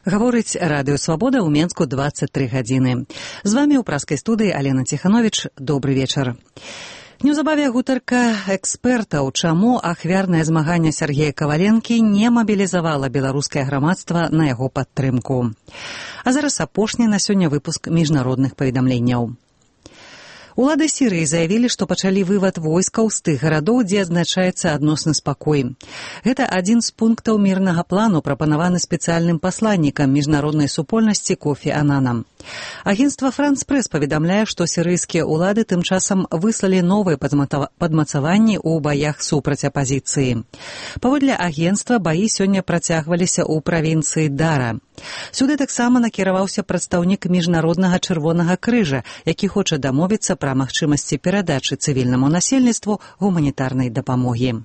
Гаворыць Радыё Свабода ў Менску 23 гадзіны. З вамі ў праскай студыі Алена Ціхановіч. Добры вечар. Неўзабаве гутарка экспертаў, чаму ахвярнае змаганне Сергея Каваленкі не мабілізавала беларускае грамадства на яго падтрымку. А зараз апошні на сёння выпуск міжнародных паведамленняў. Улады Сірыі заявілі, што пачалі вывад войскаў з тых гарадоў, дзе адзначаецца адносны спакой. Гэта адзін з пунктаў мірнага плану, прапанаваны спецыяльным пасланнікам міжнароднай супольнасці Кофі Ананам. Агенцтва France Press паведамляе, што сірыйскія ўлады тым часам выслалі новыя падмацаванні ў баях супраць апазіцыі. Паводле агенцтва, баі сёння працягваліся ў правінцыі Дара. Сюды таксама накіраваўся прадстаўнік міжнароднага чырвонага крыжа, які хоча дамовіцца пра магчымасці перадачы цывільнаму насельніцтву гуманітарнай дапамогі.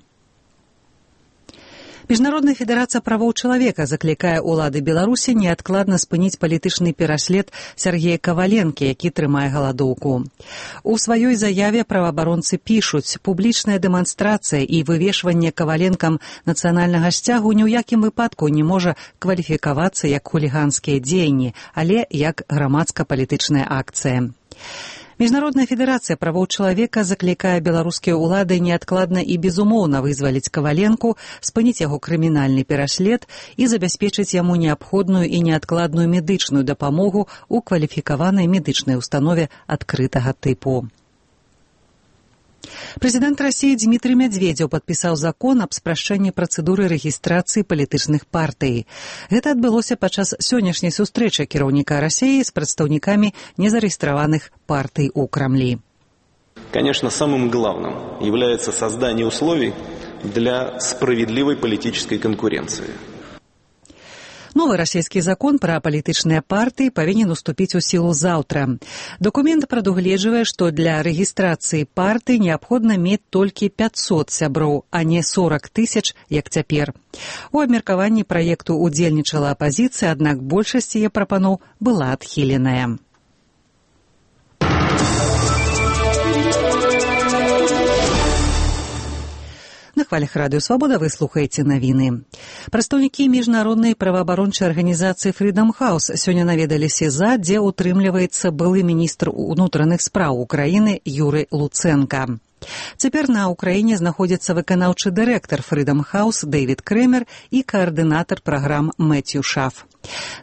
Міжнародная федэрацыя правоў чалавека заклікае ўлады Беларусі неадкладна спыніць палітычны пераслед Сергея Каваленкі, які трымае галадоўку. У сваёй заяве праваабаронцы пішуць, публічная дэманстрацыя і вывешванне Каваленкам нацыянальнага сцягу ні ў якім выпадку не можа кваліфікавацца як хуліганскія дзеянні, але як грамадска-палітычная акцыя. Міжнародная федэрацыя правоў чалавека заклікае беларускія ўлады неадкладна і безумоўна вызваліць Каваленку, спыніць яго крымінальны пераслед і забяспечыць яму неабходную і неадкладную медычную дапамогу ў кваліфікаванай медычнай установе адкрытага тыпу. Прэзідэнт Расіі Дмітрый Медведзеў падпісаў закон аб спрашчэнні працэдуры рэгістрацыі палітычных партый. Гэта адбылося падчас сённяшняй сустрэчы кіраўніка Расіі з прадстаўнікамі незарэгістраваных партый у Крамлі. Конечно, самым главным является создание условий для справедливой политической конкуренции. Новы расійскі закон пра палітычныя партыі павінен уступіць у сілу заўтра. Дакумент прадугледжвае, што для рэгістрацыі партый неабходна мець толькі 500 сяброў, а не 40 000, як цяпер. У абмеркаванні праекту удзельнічала апазіцыя, аднак большасць яе прапаноў была адхіленая. На хвалях Радыё Свабода вы слухаеце навіны. Прадстаўнікі міжнароднай праваабарончай арганізацыі Freedom House сёння наведалі СІЗА, дзе утрымліваецца былы міністр унутраных спраў Украіны Юрый Луценка. Цяпер на Ўкраіне знаходзіцца выканаўчы дырэктар Freedom House Дэвід Крэмер і каардынатар праграм Мэцью Шаф.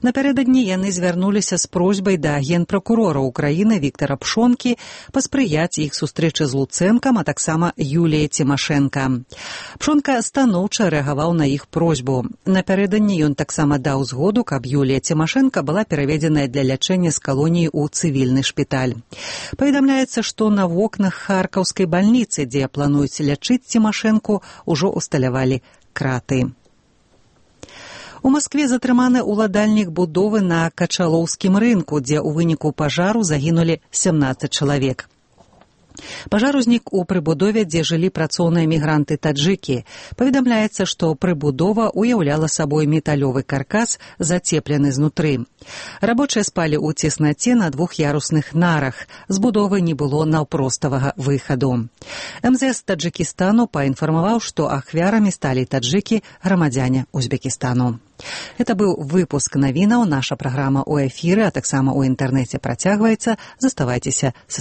Напярэдадні яны звярнуліся з просьбай да генпракурора Украіны Віктара Пшонкі паспрыяць іх сустрэчы з Луцэнкам, а таксама Юліяй Цімашэнка. Пшонка станоўча рэагаваў на іх просьбу. Напярэдадні ён таксама даў згоду, каб Юлія Цімашэнка была пераведзеная для лячэння з калоніі ў цывільны шпіталь. Паведамляецца, што на вокнах харкаўскай бальніцы, дзе плануюць лячыць Цімашэнку, ужо усталявалі краты. У Маскве затрыманы ўладальнік будовы на Качалоўскім рынку, дзе ў выніку пажару загінулі 17 чалавек. Пажар узнік у прыбудове, дзе жылі працоўныя мігранты-таджыкі. Паведамляецца, што прыбудова уяўляла сабой металёвы каркас, зацеплены знутры. Рабочыя спалі ў цеснаце на двух'ярусных нарах. З будовы не было наўпроставага выхаду. МЗС Таджыкістану паінфармаваў, што ахвярамі сталі таджыкі, грамадзяне Узбекістану. Гэта быў выпуск навінаў. Наша праграма ў эфіры, а таксама ў інтэрнэце працягваецца. Заставайцеся са